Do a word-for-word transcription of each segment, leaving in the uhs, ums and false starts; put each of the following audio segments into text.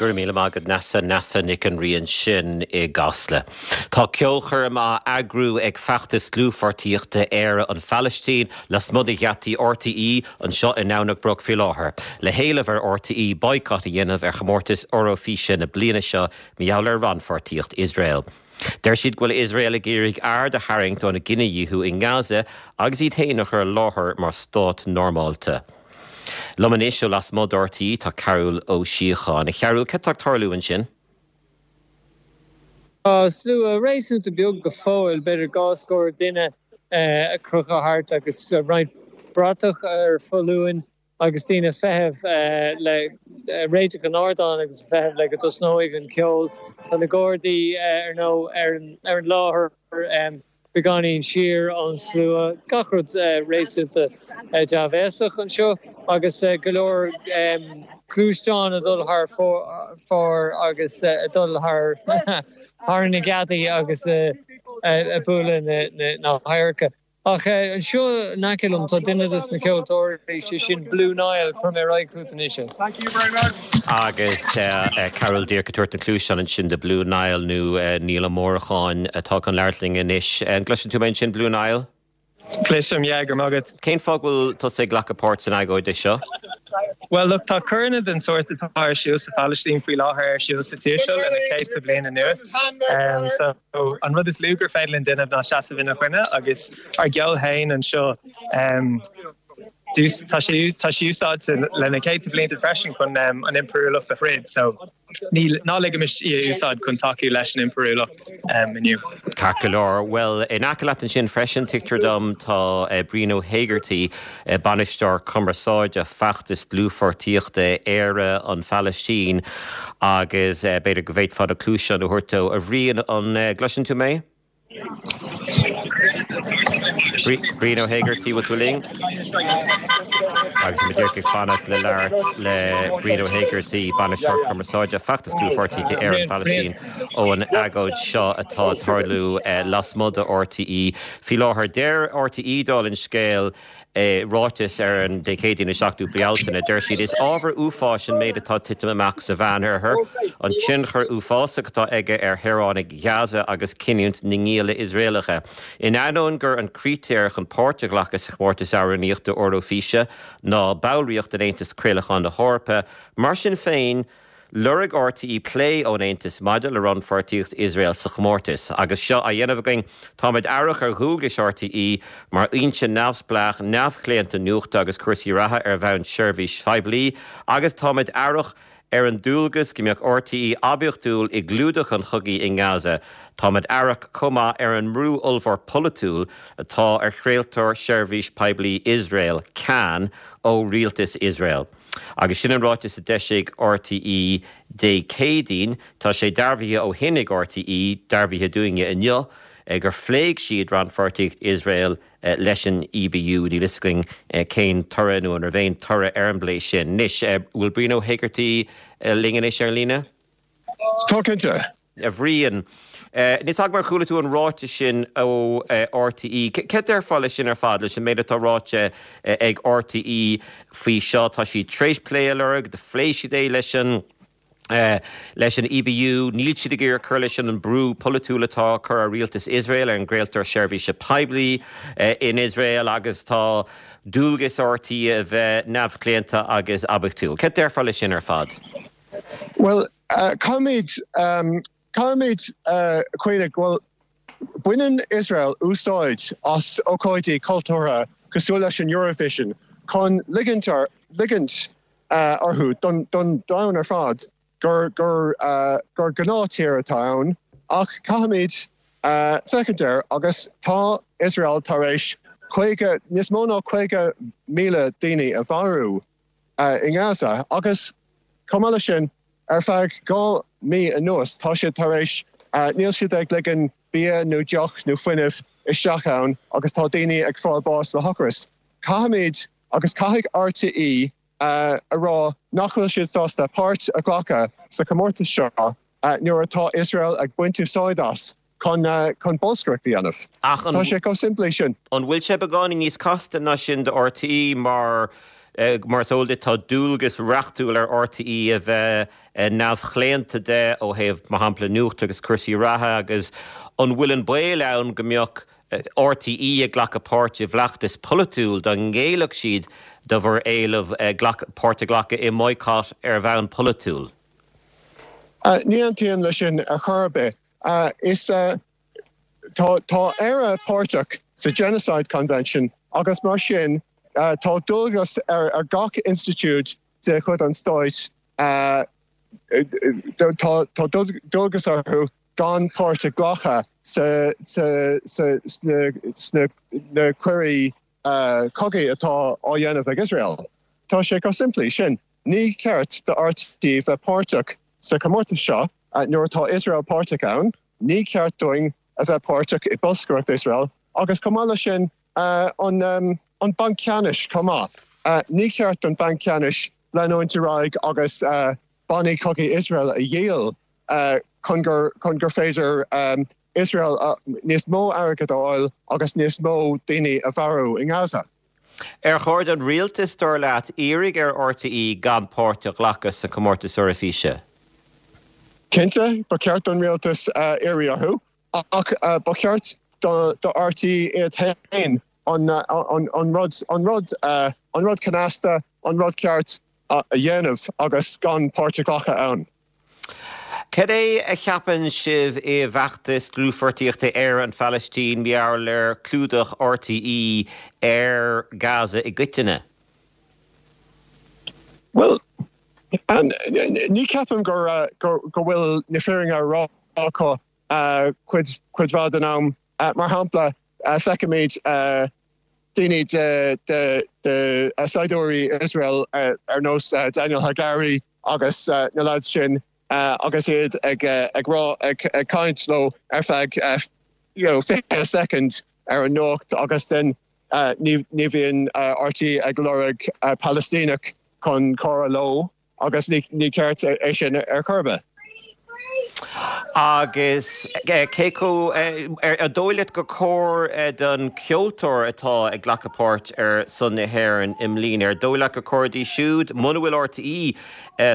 Go raibh míle maith agat Neasa Neasa Nic an Rí ansin i gCasla. Tá ceolchoirm á eagrú ag feachtas dlúthpháirtíochta Éire an Phalaistín lasmuigh de gheataí RTÉ anseo i nDomhnach Broc faoi láthair. Le héileamh ar RTÉ boycott a dhéanamh ar chomórtas Eoraifíse na bliana seo mar gheall ar rannpháirtíocht Iosrael. Deir siad go bhfuil Iosrael ag iarraidh aird a tharraingt óna gcinedhíothú i nGaza agus iad féin a chur i láthair mar stát normálta. Liom anois ó lasmuigh d'RTÉ tá Cearbhall Ó Síocháin. A Chearbhaill cad tá ag tarlú ansin? Tá slua réasúnta beag go fóill b'fhéidir dhá scór duine ag crochadh thart agus roinnt bratach ar foluain agus daoine ag feitheamh le réiteach an ardáin agus ag feitheamh le go dtosnóidh an ceol. Tá na Gardaí ar ndóigh ar ar an láthair beagáinín siar ón slua gach rud réasúnta dea-bhéasach anseo agus go leor gluaisteán ag dul thar fóir agus ag dul thar thar na geataí agus ag bualadh na hadharca. Ach anseo in aice liom tá duine de na ceoltóirí sé sin Blue Nile cuirfidh mé ar aghaidh chugat anois. Agus Cearbhall díreach ag tabhairt na cluaise ansin de Blue Nile nó Niall Ó Mórdháin atá chun labhairt linn anois. An gcloiseann tú mé ansin Blue Nile? Cloisim yeah go maith agat. Cén fáth go bhfuil tusa ag glacadh páirt san agóid seo? Well look tá coireanna den sórt atá ar siúl sa Phalaistín faoi láthair ar siúl sa tír seo le na céadta bliain anuas. Um, so an rud is lú gur féidir linn déanamh ná seasamh ina choinne agus ár gceol féin anseo um, tá sé tá sé úsáidte le na céadta blianta freisin chun um, an impiriúlacht a throid, so ní ná ligimis í a úsáid chun tacú leis an impiriúlacht um, inniu. Ceart go leor well in aice leat ansin freisin tuigtear dom tá uh, Brian Ó hÉigeartaigh uh, bainisteoir cumarsáide feachtas dlúthpháirtíochta Éire an Phalaistín agus uh, b'fhéidir go bhféadfá na cluaise a thabhairt dó a Bhriain an uh, gcloiseann tú mé? Brian Ó hÉigeartaigh bhfuil tú linn? Agus muid ag fanacht le labhairt le Brian Ó hÉigeartaigh bainisteoir cumarsáide feachtas dlúthpháirtíochta Éire an Phalaistín ó an agóid seo atá ag tarlú eh, lasmuigh de RTÉ. Faoi láthair deir RTÉ dála an scéil eh, ráiteas ar an Dé Céadaoin an seachtú Bealtaine, deir siad is ábhar uafáis an méid atá ag titim amach sa Mheánoirthear, an tionchar uafásach atá aige ar shaoránaigh Gaza agus cinniúint na ngialla Iosraelacha. In ainneoin gur an critéar chun páirt a ghlacadh sa chomórtas amhránaíochta Eoraifíse ná ballraíocht in Aontas Craolacháin na hEorpa, mar sin féin, Lorg RTÉ plé ón Aontas maidir le rannpháirtíocht Iosrael sa chomórtas, agus seo á dhéanamh againn táimid aireach ar dhualgais RTÉ mar fhoinse neamhspleách neamhchlaonta nuachta agus cúrsaí reatha ar bhonn seirbhís phoiblí, agus táimid aireach ar an dualgas go mbeadh RTÉ oibiachtúil i gclúdach an chogaidh i nGaza. Táimid aireach chomh maith ar an mbrú ollmhór polaitiúil atá ar chraoltóir seirbhís poiblí Iosrael Kan ó rialtas Iosrael. Agus sin an ráiteas a d'eisigh RTÉ Dé Céadaoin, tá sé dearbhaithe ó shin ag RTÉ dearbhaithe dúinne inniu gur phléigh siad rannpháirtíocht Iosrael leis an EBU níl a fhios againn cén toradh nó an raibh aon toradh ar an bplé sin. Anois bhfuil Brian Ó hÉigeartaigh linn anois ar líne? Tá cinnte. A Bhriain. Níl a fhios agam ar chuala tú an ráiteas sin ó RTÉ. Cad déarfá leis sin ar fad leis an méid atá ráite ag RTÉ faoi seo tá siad tar éis plé a lorg, do phléigh siad é leis an leis an EBU, níl siad ag iarraidh cur leis an brú polaitiúil atá curtha ar rialtas Iosrael ar an gcraoltóir seirbhíse poiblí in Iosrael agus tá dualgas RTÉ a bheith neamhchlaonta agus oibiachtúil. Cad déarfá leis sin ar fad? Well, uh, caithfimid um, caithfimid uh, cuimhneamh well baineann Israel úsáid as ócáidí cultúrtha cosúil leis an Eurovision chun ligint ligint uh, orthu don don domhan ar fad gur gur uh, gur gnáthtír atá ann ach caithfimid uh, féachaint air agus tá Israel tar éis caoga níos mó ná caoga míle daoine a mharú uh, in Gaza agus chomh maith leis sin ar feadh dhá mí anuas tá siad tar éis uh, níl siad ag ligean bia nó deoch nó fuinneamh isteach ann agus tá daoine ag fáil bás le hocras. Caithfimid agus caithfidh RTÉ uh, a rá nach bhfuil siad sásta páirt a ghlacadh sa chomórtas seo uh, nuair atá Israel ag baint úsáid as chun uh, chun bolscaireacht a dhéanamh. Ach Tá sé chomh simplí sin. An bhfuil sé beagáinín níos casta ná sin do RTÉ mar Mar is eol duit, tá dualgas reachtúil ar RTÉ a bheith neamhchlaonta de ó thaobh, mar shampla, nuacht agus cúrsaí reatha agus an bhfuil an baol ann go mbeadh RTÉ ag glacadh páirt i bhfeachtas polaitiúil dá ngéillfeadh siad do bhur éileamh páirt a ghlacadh i mboycott ar bhonn polaitiúil? Ní aontaím leis sin ar chor ar bith. Is tá tá Éire páirteach sa Genocide Convention agus mar sin tá dualgas ar ar gach institiúid de chuid an stáit tá tá dualgas orthu gan páirt a ghlacadh sa sa sa sna sna na coirí cogaidh atá á dhéanamh ag Iosrael. Tá sé chomh simplí sin. Ní ceart do RTÉ bheith páirteach sa chomórtas seo nuair atá Iosrael páirteach ann, ní ceart dúinn a bheith páirteach i bolscaireacht Iosrael agus chomh maith leis sin an an Banc Ceannais chomh maith. Ní ceart don Banc Ceannais leanúint ar aghaidh agus bannaí cogaidh Iosrael a dhíol chun gur chun gur féidir Iosrael níos mó airgead a fháil agus níos mó daoine a mharú i nGaza. Ar chóir don rialtas, dar leat, iarraidh ar RTÉ gan páirt a ghlacadh sa chomórtas Eoraifíse? Cinnte, ba cheart don rialtas iarraidh orthu, ach ba cheart do RTÉ iad féin an rud an rud an rud cneasta, an rud ceart a dhéanamh agus gan páirt a ghlacadh ann. Cad é a cheapann sibh i bhfeachtas dlúthpháirtíochta Éire an Phalaistín mar gheall ar clúdach RTÉ ar Gaza i gcoitinne? Bhuel, ní cheapaim gur go bhfuil na fírinne á rá acu cuid cuid mhaith den am. Mar shampla, feicimid daoine de de de saighdiúirí Iosrael ar nós Daniel Hagari agus na lads sin agus iad ag ag rá ag ag caint leo ar feadh you know fiche soicind ar an nuacht agus then ní ní bhíonn RTÉ ag lorg Palaistíneach chun comhrá leo agus ní ní ceart é sin ar chor ar bith. Agus cé chomh, ar dóigh leat gur chóir don cheoltóir atá ag glacadh páirt ar son na hÉireann i mbliana, ar dóigh leat gur chóir dóibh siúd, muna bhfuil RTÉ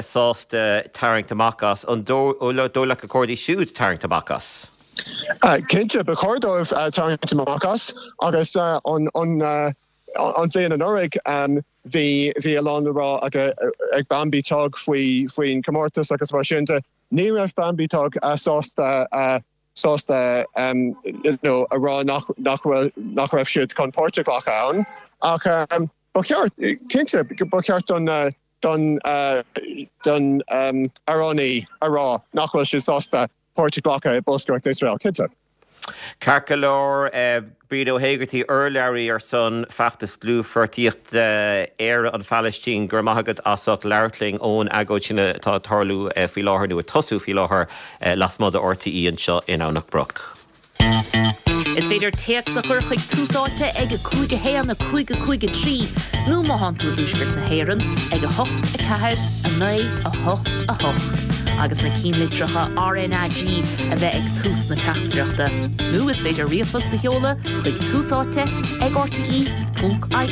sásta tarraingt amach as, an dóigh leat gur chóir dóibh siúd tarraingt amach as? Cinnte, ba chóir dóibh tarraingt amach as agus an an bhliain anuraidh bhí bhí a lán le rá ag Bambi Thug faoi faoin chomórtas agus mar sin de. Ní raibh Bambi Thug sásta sásta you know a rá nach nach bhfuil nach raibh siad chun páirt a ghlacadh ann ach ba cheart cinnte ba cheart don don don amhránaí a rá nach bhfuil siad sásta páirt a ghlacadh i bolscaireacht Iosrael, cinnte. Ceart go leor, Bríd Ó hÉigeartaigh, urlabhraí ar son feachtas dlúthpháirtíochta Éire an Phalaistín, go raibh maith agat as ucht labhairt linn ón agóid sin atá ag tarlú faoi láthair, nó ag tosú faoi láthair, lasmuigh de RTÉ anseo in Abhainn Broc. Is féidir téacs a chur chuig Tús Áite ag a cúig a haon a cúig a cúig a trí nó má thánn tú i dtuaisceart na hÉireann ag a hocht a ceathair a naoi a hocht a hocht agus na cinnlitreacha RnaG a bheith ag tús na teachtaireachta. Nó is féidir ríomhphost a sheoladh chuig Tús Áite ag rte ponc ie.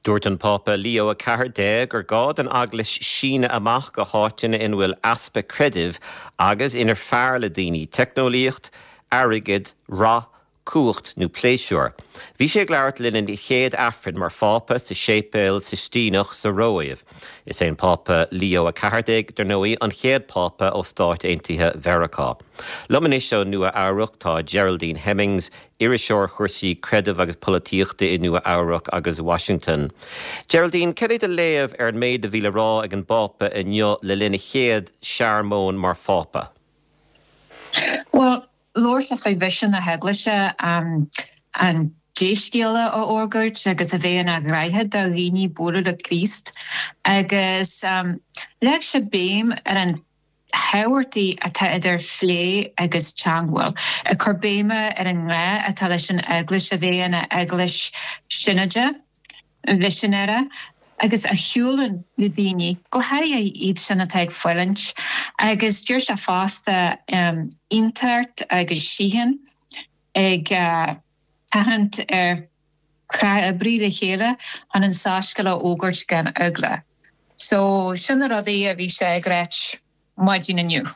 Dúirt an Pápa Leo a ceathair déag gur gá don Eaglais síneadh amach go háiteanna ina bhfuil easpa creidimh agus inar fearr le daoine teicneolaíocht, airgead, rath, cumhacht nó pléisiúr. Bhí sé ag labhairt le linn a chéad Aifrinn mar Phápa sa Séipéal Sistíneach sa Róimh. Is é an Pápa Leo a ceathair déag, dar ndóigh, an chéad Phápa ó Stáit Aontaithe Mheiriceá. Liom anois ó Nua Eabhrac tá Geraldine Hemmings, iriseoir chúrsaí creidimh agus polaitíochta i Nua Eabhrac agus Washington. Geraldine, cad é do léamh ar an méid a bhí le rá ag an bPápa inniu le linn a chéad searmóin mar Phápa? Bhuel, labhair sé faoi mhisean na hEaglaise, an dea-scéala a fhógairt agus a bheith ina dhroichead do dhaoine bualadh le Críost agus leag sé béim ar an tábhachtaí atá idir phlé agus teangmháil, ag cur béime ar an ngá atá leis an Eaglais a bheith ina Eaglais sionaide, mhisinéara, agus a shiúlann le daoine, go háirithe iad sin atá ag fulaingt. Agus deir sé fosta aontacht agus síocháin, ag tathant ar Oibriú le chéile chun an soiscéal a fhógairt gan eagla. So, sin na rudaí a bhí sé ag ráit maidin inniu.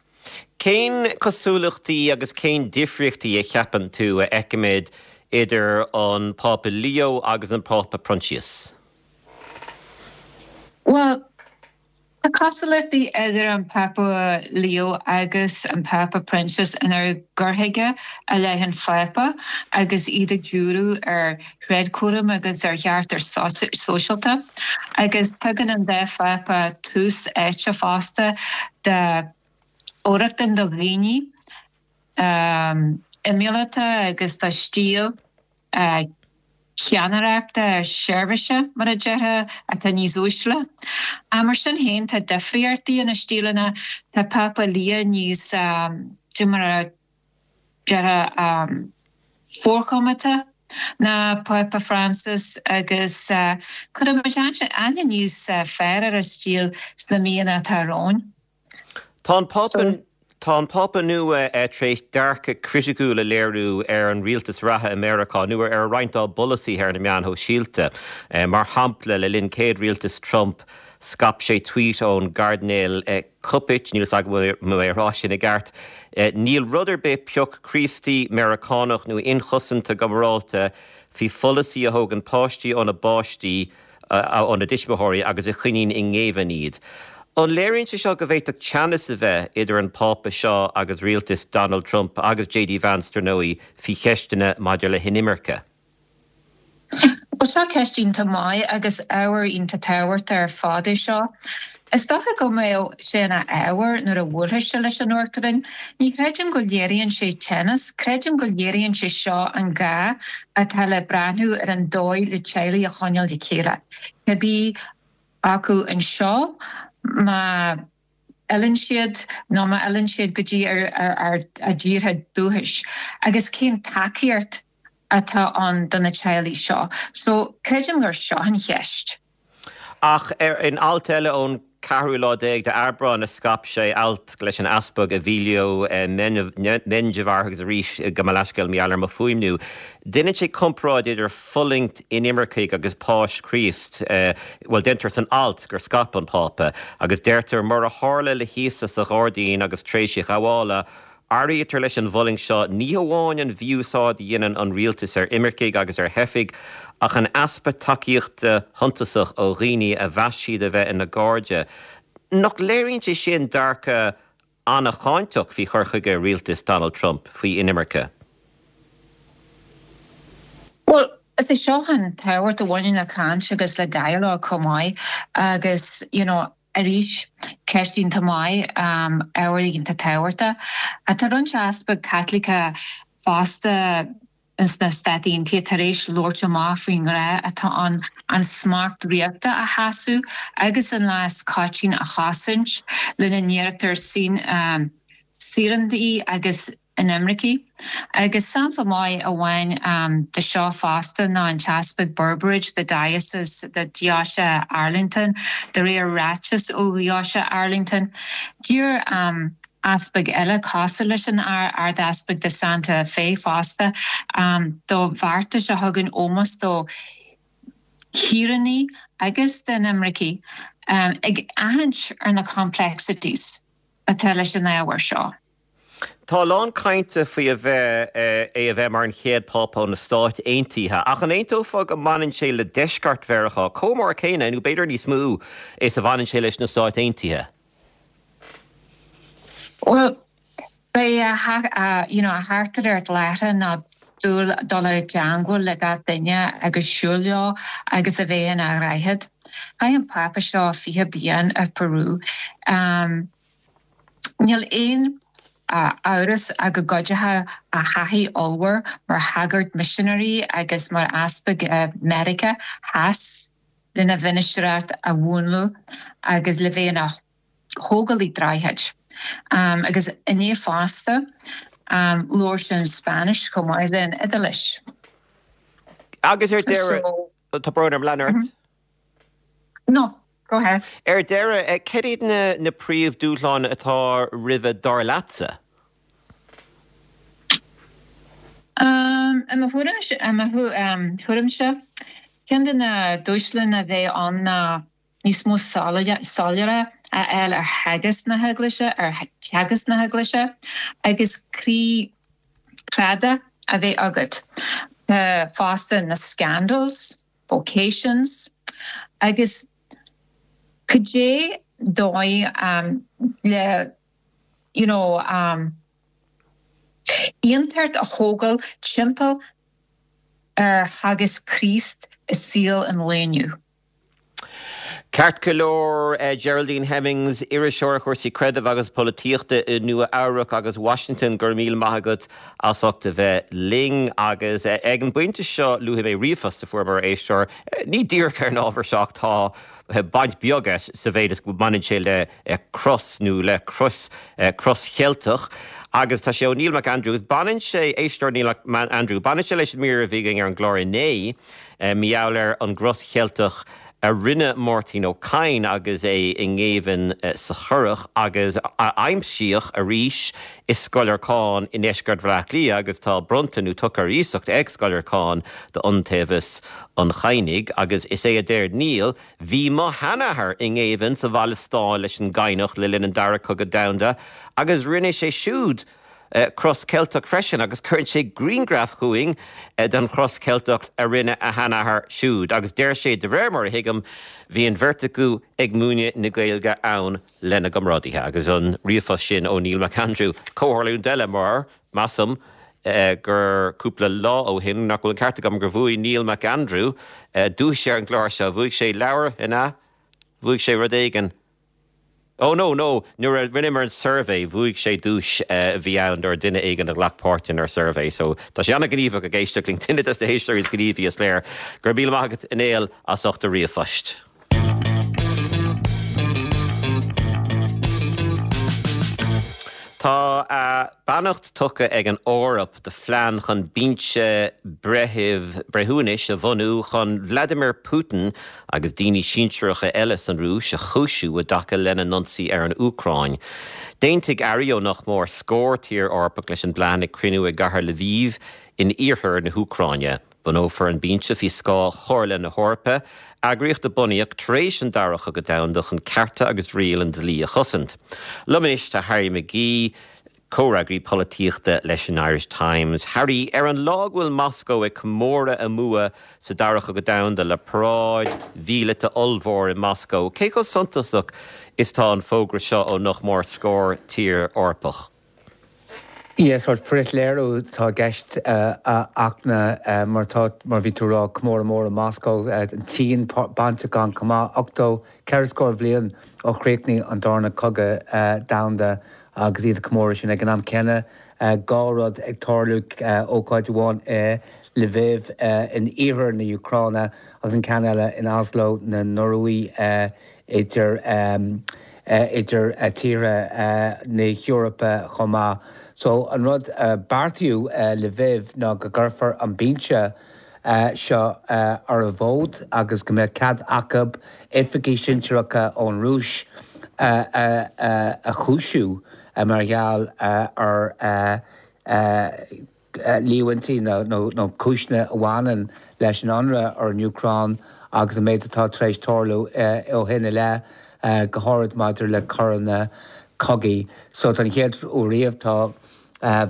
Cén cosúlachtaí agus cén difríochtaí a cheapann tú a fheicimid idir an Pápa Leo agus an Pápa Proinsias? Bhuel, tá cosúlachtaí idir an Pápa Leo agus an Pápa Proinsias ina gcur chuige i leith an Phápa agus iad ag díriú ar thréadchúram agus ar cheartas sóisialta. Agus tugann an dá Phápa tús áite fosta do fhorrochtain do dhaoine imeallaithe agus do stíl ceannaireachta seirbhíse, mar a déarfá, atá níos uaisle. Mar sin féin, tá difríochtaí ina stíleanna, tá Pápa Leo níos, de mar a déarfá, forchoimeádta ná Pápa Francis agus cuirfidh muid aithne níos fearr ar a stíl sna míonna atá romhainn. Tá an Pápa Tá an Pápa nua tar éis dearcadh criticiúil a léiriú ar an rialtas reatha i Meiriceá nó ar roinnt dá bpolasaithe ar na meáin shóisialta. Mar shampla, le linn chéad rialtas Trump, scaip sé tweet ón gCairdinéal Cupich, níl a fhios agam an bhfuil mé ag rá sin i gceart, Níl rud ar bith pioc Críostaí, Meiriceánach nó inchosanta go morálta faoi pholasaí a thógann páistí óna bpáistí, óna dtuismitheoirí agus a choinníonn i ngéibheann iad. An léiríonn sé seo go bhféadfadh teannas a bheith idir an Pápa seo agus rialtas Donald Trump agus JD Vance, dar ndóigh, faoi cheisteanna maidir le hinimirce? Bhuel, seo ceist iontach maith agus ábhar iontach tábhachtach ar fad é seo. Is dócha go mbeadh sé ina ábhar nuair a bhuailfidh sé leis an Uachtarán. Ní chreidim go léiríonn sé teannas, creidim go léiríonn sé seo an gá atá le breathnú ar an dóigh le teaghlaigh a choinneáil le chéile, cibé acu anseo má fhilleann siad nó má fhilleann siad go dtí a dtíortha dúchais, agus cén tacaíocht atá ann do na teaghlaigh seo. So, creidim gur seo an cheist. Ach in alt eile ón ceathrú lá déag d'Aibreán a scaip sé, alt leis an Easpag Emilio Menjivar, agus arís gabh mo leithscéal mar gheall ar mo fuaimniú, déanann sé comparáid idir fulaingt inimircigh agus Páis Chríost, bhuel, deirtear san alt gur scaip an Pápa, agus deirtear, mar a tharla le hÍosa sa ghairdín agus tar éis a ghabhála, Áirítear leis an bhfulaingt seo ní hamháin an mhí-úsáid a dhéanann an rialtas ar imircigh agus ar theifigh, ach an easpa tacaíochta shuntasach ó dhaoine a mheas siad a bheith ina gcairde. Nach léiríonn sé sin dearcadh an-cháinteach faoi chur chuige rialtas Donald Trump faoi inimirce? Bhuel, is é seo an tábhacht a bhaineann le caint agus le dialogue chomh maith agus, you know, Arís, ceist iontach maith, ábhar iontach tábhachtach. Tá roinnt easpag Caitliceach fosta sna Stáit Aontaithe tar éis labhairt amach faoin ngá atá ann an smacht ríochta a sheasamh agus an leas coiteann a chosaint, lena n-áirítear saoránaigh agus inimircigh. Agus sampla maith amháin de seo fosta ná an tEaspag Burbridge de Diocese de Deoise Arlington, de réir ráiteas ó Dheoise Arlington. D'iarr easpaig eile cosúil leis an Ard-Easpag de Santa Fe fosta do bheartais a thugann ómós do shaoránaigh agus d'inimircigh, ag aithint ar na complexities atá leis an ábhar seo. Tá a lán cainte faoi a bheith, é a bheith mar an chéad Phápa ó na Stáit Aontaithe, ach an aontófá go mbaineann sé le deisceart Mheiriceá chomh mór céanna, nó b'fhéidir níos mó, is a bhaineann sé leis na Stáit Aontaithe? Bhuel, beidh a, you know, a theachtaireacht láithreach ná dul i dteangmháil le gach duine agus siúl leo agus a bheith ina dhroichead. Chaith an Pápa seo fiche bliain i Peru. Níl aon amhras ach go gcuideoidh a thaithí ollmhór mar shagart misinéirí agus mar easpag i Meiriceá Theas lena mhinistreacht a mhúnlú agus le bheith ina thógálaí droichid. Agus inné fosta, labhair sé an Spáinnis chomh maith le an Iodáilis. Agus ar deireadh, tá brón orm, lean ort. No, go ahead. Ar deireadh, cad iad na príomhdhúshláin atá roimhe dar leatsa? I mo thuairimse, Ceann de na dúshláin a bheidh ann ná níos mó soiléire a fháil ar theagasc na hEaglaise, ar theagasc na hEaglaise agus croí cráite a bheith agat. Tá fosta na scandals, vocations agus cad é dóigh le you know aontacht a thógáil timpeall ar theagasc Chríost i saol an lae inniu. Ceart go leor, Geraldine Hemmings, iriseoir ar chúrsaí creidimh agus polaitíochta i Nua Eabhrac agus Washington, go raibh míle maith agat as ucht a bheith linn. Agus ag an bpointe seo luafaidh mé ríomhphost a fuaireamar, a éisteoir, ní díreach ar an ábhar seo ach tá baint beag aige sa mhéid is go mbaineann sé le cros nó le crois, cros Cheilteach. Agus tá sé ó Neil McAndrew agus baineann sé, éisteoir Neil McAndrew, baineann sé leis an mír a bhí againn ar an gclár inné, mar gheall ar an gcros Cheilteach a rinne Máirtín Ó Cadhain agus é i ngéibheann sa Churrach agus a aimsíodh arís i Scoil Lorcáin i ndeisceart Bhaile Átha Cliath agus tá bronnta nó tugtha ar iasacht ag Scoil Lorcáin d'Iontaobhas an Chadhnaigh agus is é a deir Neil, Bhí mo sheanathair i ngéibheann sa Bhaile Stáin leis an gCadhnach le linn an Dara Cogadh Domhanda agus rinne sé siúd cros Ceilteach freisin agus cuireann sé grianghraf chugainn den chros Ceilteach a rinne a sheanathair siúd agus deir sé, de réir mar a thuigim, bhí an bheirt acu ag múineadh na Gaeilge ann lena gcomrádaithe. Agus an ríomhphost sin ó Neil McAndrew, comhtharlúint eile mar, measaim, gur cúpla lá ó shin, nach bhfuil an ceart agam, gur bhuaigh Neil McAndrew duais ar an gclár seo, bhuaigh sé leabhar, an ea? Bhuaigh sé rud éigin. Oh no, no, nuair a rinneamar an suirbhé, bhuaigh sé duais a bhí ann do duine éigin a ghlac páirt inár suirbhé. So tá sé an-ghníomhach ag éisteacht linn, duine des na héisteoirí is gníomhaí is léir. Go raibh míle maith agat a Néill as ucht do ríomhphoist. Tá a beannacht tugtha ag an Eoraip do phlean chun binse breithimh breithiúnais a bhunú chun Vladimir Putin agus daoine sinsearacha eile san Rúis a chúisiú i dtaca lena n-ionsaí ar an Úcráin. D'aontaigh airí ó nach mór scór tír Eorpach leis an bplean ag cruinniú i gcathair Lviv in iarthar na hÚcráine. Bunófar an binse faoi scáth Chomhairle na hEorpa, eagraíocht a bunaíodh tar éis an Dara Cogadh Domhanda chun cearta agus riail an dlí a chosaint. Liom anois tá Harry McGee, comhfhreagraí polaitíochta leis an Irish Times. Harry, ar an lá go bhfuil Moscó ag comóradh a mbua sa Dara Cogadh Domhanda le paráid mhíleata ollmhór i Moscó, cé chomh suntasach is tá an fógra seo ó nach mór scór tír Eorpach? Yeah, sórt frithléiriú atá i gceist a Fhachtna, mar tá, mar bhí tú a rá, comóradh mór i Moscó, an tSín bainteach ann chomh maith, ochtó, ceithre scór bhliain ó chríochnaigh an darna cogadh domhanda agus iad ag comóradh sin. Ag an am céanna, dhá rud ag tarlú, ócáid amháin i Lviv in iarthar na hÚcráine agus an ceann eile in Oslo na Noruaí idir idir tíortha na hEorpa chomh maith. So an rud a beartaíodh i Lviv ná go gcuirfear an binse seo ar an bhfód agus go mbeadh cead acu oifigigh sinsearacha ón Rúis a chúisiú mar gheall ar líomhaintí nó cúiseanna a bhaineann leis an ionradh ar an Úcráin agus an méid atá tar éis tarlú ó shin i leith, go háirid maidir le coireanna cogaidh. So don chéad uair riamh tá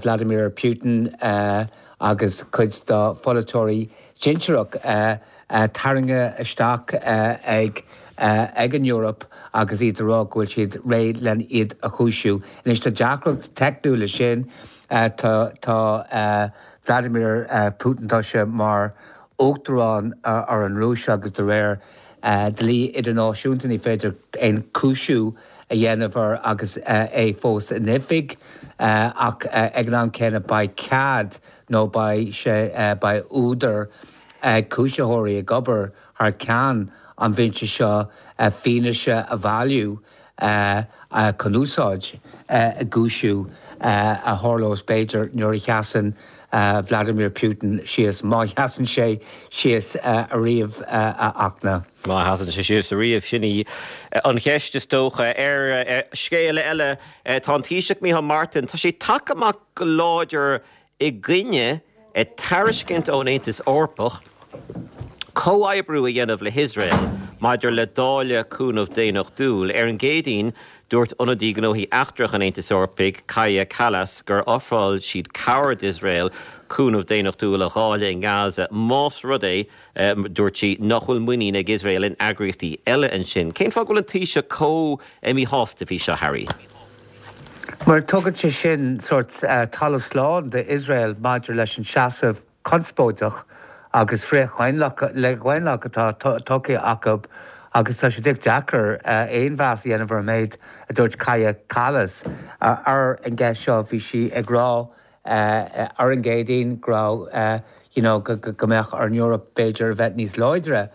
Vladimir Putin agus cuid dá pholaiteoirí sinsearach tarraingthe isteach ag ag an Eoraip agus iad ag rá go bhfuil siad réidh len iad a chúisiú. Anois tá deacracht teicniúil leis sin. Tá tá Vladimir Putin, tá sé mar uachtarán ar an Rúis agus de réir dlí idirnáisiúnta ní féidir aon chúisiú a dhéanamh air agus é fós in oifig ach ag an am céanna beidh cead nó beidh sé beidh údar ag cúisitheoirí ag obair thar ceann an bhinse seo fianaise a bhailiú chun úsáid i gcúisiú a tharlós b'fhéidir nuair a sheasann Vladimir Putin síos, má sheasann sé síos ariamh, a Fhachtna. Má sheasann sé síos ariamh, sin í an cheist is dócha. Ar scéal eile, tá an Taoiseach Micheál Martin, tá sé tagtha amach go láidir i gcoinne tairiscint ón Aontas Eorpach Comhoibriú a dhéanamh le hIosrael maidir le dáileadh cúnamh daonnachtúil. Ar an gCéadaoin, dúirt ionadaí gnóthaí eachtracha an Aontais Eorpaigh, Kaja Kallas, gur ofráil siad cabhair d'Iosrael cúnamh daonnachtúil a dháileadh i nGaza más rud é, dúirt sí, nach bhfuil muinín ag Iosrael in eagraíochtaí eile ansin. Cén fáth go bhfuil an Taoiseach chomh míshásta faoi seo, Harry? Mar tugann sé sin sórt talamh slán d'Iosrael maidir leis an seasamh conspóideach agus frith-dhaonlathach atá tugtha acu agus tá sé deacair aon mheas a dhéanamh ar an méid a dúirt Kaja Kallas ar an gceist seo. Bhí sí ag rá ar an gCéadaoin go raibh you know go mbeadh ar an Eoraip b'fhéidir a bheith níos láidre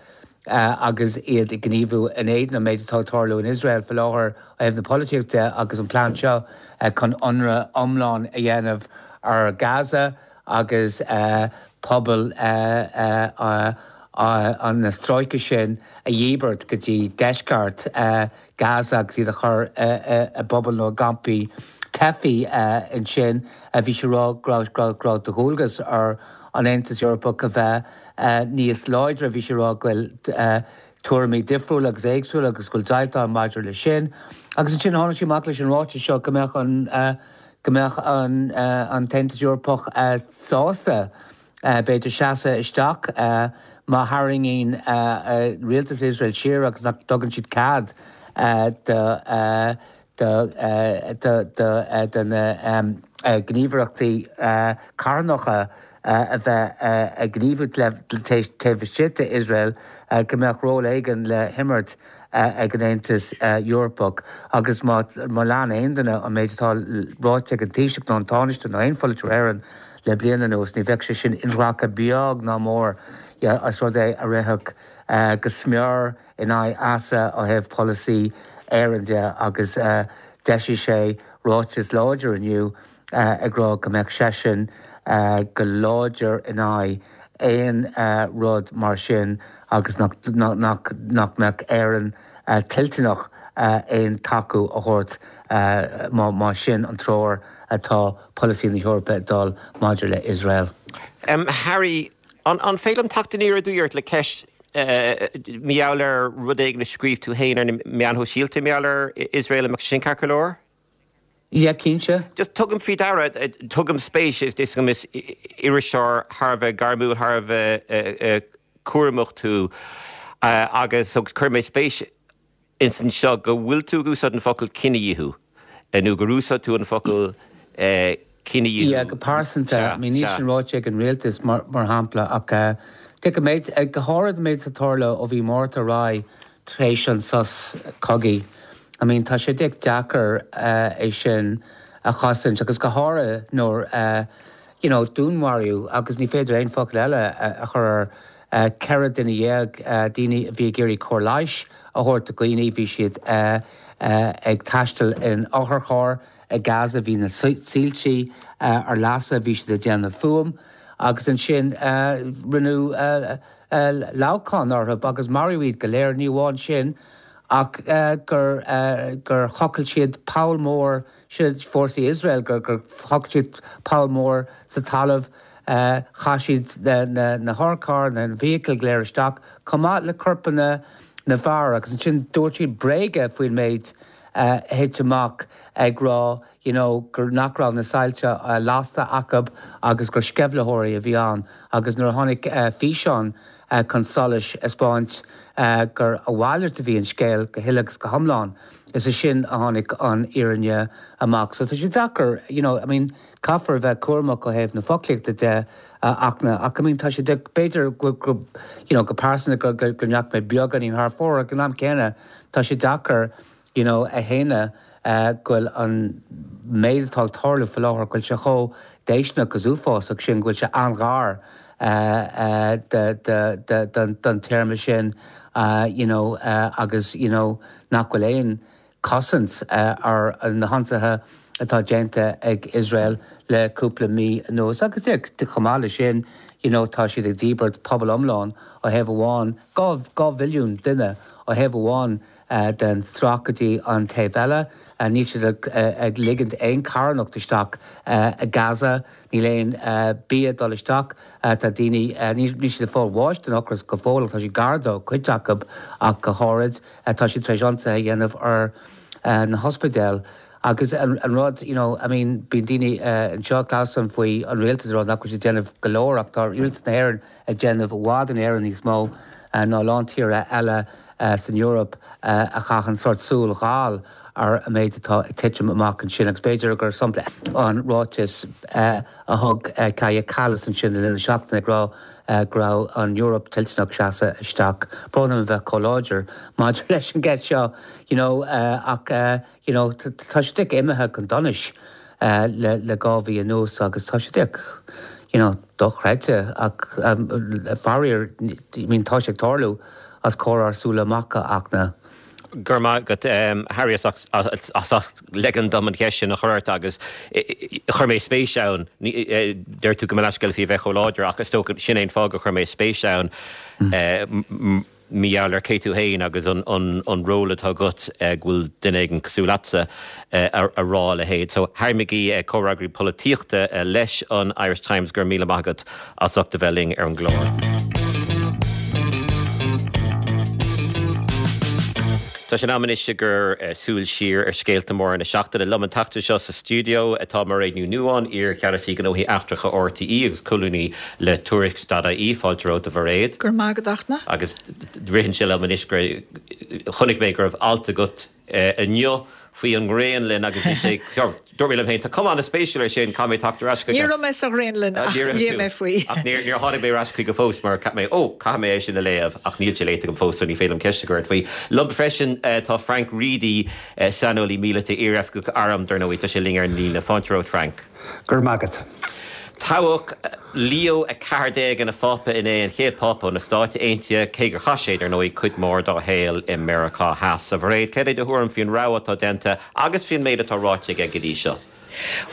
agus iad ag gníomhú in éadan an méid atá ag tarlú in Iosrael faoi láthair ó thaobh na polaitíochta de agus an plean seo chun ionradh iomlán a dhéanamh ar Gaza agus pobal na stráice sin a dhíbirt go dtí deisceart Gaza agus iad a chur i bpubaill nó i gcampaí teifigh ansin. Bhí sí ag rá go raibh de dhualgas ar an Aontas Eorpach a bheith níos láidre. Bhí sí ag rá go bhfuil tuairimí difriúla agus éagsúla agus go bhfuil deighilt ann maidir leis sin. Agus ansin tháinig sí amach leis an ráiteas seo go mbeadh an go mbeadh an an tAontas Eorpach sásta b'fhéidir seasamh isteach má tharraingíonn rialtas Iosrael siar agus nach dtugann siad cead do do na gníomhaireachtaí carthanacha a bheith ag gníomhú taobh istigh d'Iosrael, go mbeadh ról éigin le himirt ag an Aontas Eorpach. Agus má lean aon duine an méid atá ráite ag an Taoiseach nó an Tánaiste nó aon pholaiteoir Éireann le bliain anuas, ní bheadh sé sin inghlactha beag ná mór as rud é a rithfeadh go smior in aghaidh easa ó thaobh polasaí Éireann de agus d'eisigh sé ráiteas láidir inniu ag rá go mbeadh seisean go láidir in aghaidh aon rud mar sin agus nach mbeadh Éirinn toilteanach aon tacú a thabhairt má sin an treoir atá polasaí na hEorpa ag dul maidir le Iosrael. Harry, an féidir liom teacht aniar aduaidh ort le ceist mar gheall ar rud éigin a scríobh tú féin ar na meáin shóisialta mar gheall ar Iosrael, an mbeadh sin ceart go leor? Yeah, cinnte. Just tugaim faoi deara, tugaim spéis, is is is iriseoir thar a bheith gairmiúil, thar a bheith cúramach tú agus so chuir mé spéis ins an seo go bhfuil tú ag úsáid an focal cinedhíothú nó gur úsáid tú an focal cinedhíothú. Yeah, go pearsanta, I mean níl sin ráite ag an rialtas mar mar shampla ach go méid go háirid an méid atá tarla ó bhí Márta ar aghaidh tar éis an sos cogaidh. I mean tá sé deacair é sin a chosaint agus go háirithe nuair you know dúnmharaíodh agus ní féidir aon focal eile a chur ar ceithre duine dhéag daoine a bhí ag iarraidh cóir leighis a thabhairt do dhaoine, bhí siad ag taisteal in otharcharr i Gaza, bhí na soilsí ar lasadh, bhí siad ag déanamh fuaim agus ansin rinneadh leamhcán orthu agus maraíodh iad go léir, ní amháin sin ach gur gur thochail siad poll mór, sin fórsaí Iosrael, gur gur thochail siad poll mór sa talamh, chaith siad na na hotharchairr, na feithiclí go léir isteach, chomh maith le corpanna na bhfear agus ansin dúirt siad bréaga faoin méid a thit amach ag rá you know gur nach raibh na soilse lasta acu agus gur sceimhlitheoirí a bhí ann agus nuair a tháinig físeán chun solais ag 'spáint gur a mhalairt a bhí an scéal go huile agus go hiomlán is ansin a tháinig an fhírinne amach. So tá sé deacair you know I mean caithfear a bheith cúramach ó thaobh na foclaíochta de ach na ach I mean tá sé b'fhéidir go go you know go pearsanta go go go ndeachaigh mé beagáinín thar fóir ach ag an am céanna tá sé deacair you know a shéanadh go bhfuil an méid atá ag tarlú faoi láthair go bhfuil sé chomh déistineach agus uafásach sin go bhfuil sé an-ghar don téarma sin you know agus you know nach bhfuil aon chosaint ar na hionsaithe atá déanta ag Iosrael le cúpla mí anuas. Agus chomh maith leis sin you know, tá siad ag díbirt pobal iomlán ó thaobh amháin, dhá, dhá mhilliún duine ó thaobh amháin den stráice go dtí an taobh eile. Níl siad ag, ag ligint aon charthanacht isteach i Gaza, níl aon bia ag dul isteach, tá daoine, níl siad ag fáil bháis den ocras go fóill ach tá siad gar dó, cuid acu ach go háirid. Tá siad tar éis ionsaithe a dhéanamh ar na hospidéil agus an rud, you know, I mean, bíonn daoine anseo ag clamhsán faoi an rialtas ag rá nach bhfuil siad ag déanamh go leor ach tá rialtas na hÉireann ag déanamh i bhfad in Éirinn níos mó ná a lán tíortha eile san Eoraip a chaitheann sórt súil dhall ar an méid atá ag titim amach ansin agus b'fhéidir gur sampla an ráiteas a thug Kaja Kallas ansin le linn na seachtaine ag rá go raibh an Eoraip toilteanach seasamh isteach. Brón orm a bheith chomh láidir maidir leis an gceist seo you know ach you know tá sé díreach imithe chun donais le le dhá mhí anuas agus tá sé díreach you know dochreidte ach faraor I mean tá sé ag tarlú os comhair ár súile amach a Fhachtna. Go raibh maith agat Harry as ucht ligean dom an cheist sin a chur ort agus chuir mé spéis ann, deir tú gabh mo leithscéal faoi bheith chomh láidir ach is dócha sin é an fáth gur chuir mé spéis ann mar gheall ar cé tú féin agus an ról atá agat go bhfuil duine éigin cosúil leatsa a rá a leithéid. So Harry McGee, comhfhreagraí polaitíochta leis an Irish Times, go raibh míle maith agat as ucht a bheith linn ar an gclár. Tá sé in am anois ag cur súil siar ar scéalta móra na seachtaine. Liom an tseachtain seo sa stiúideo atá Mairéad Ní Nuadháin, iar-Cheannasaí Gnóthaí Eachtracha RTÉ agus colúnaí le Tuairisc dot ie. Fáilte romhat a Mhairéad. Go raibh maith agat a Fhachtna. Agus ritheann sé liom anois gur chonaic mé go raibh alt agat inniu faoi an nGraonlainn agus bhí sé, dúirt mé liom féin, tá cuma an-spéisiúil air sin, caithfidh mé teacht ar ais chuige. Ní raibh mé sa Ghraonlainn ach léigh mé faoi. Ach níor tháinig mé ar ais chuige fós mar cheap mé, ó, caithfidh mé é sin a léamh ach níl sé léite agam fós so ní féidir liom ceist a chur ort faoi. Liom freisin tá Frank Reidy, saineolaí míleata, iar-oifigeach airm, dar ndóigh, tá sé linn ar an líne. Fáilte romhat Frank. Go raibh maith agat. Toghadh Leo a ceathair déag ina Phápa inné, an chéad Phápa ó na Stáit Aontaithe, cé gur chaith sé, dar ndóigh, cuid mhór dá shaol i Meiriceá Theas. A Mhairéad, céard é do thuairim faoin rogha atá déanta agus faoin méid atá ráite aige go dtí seo?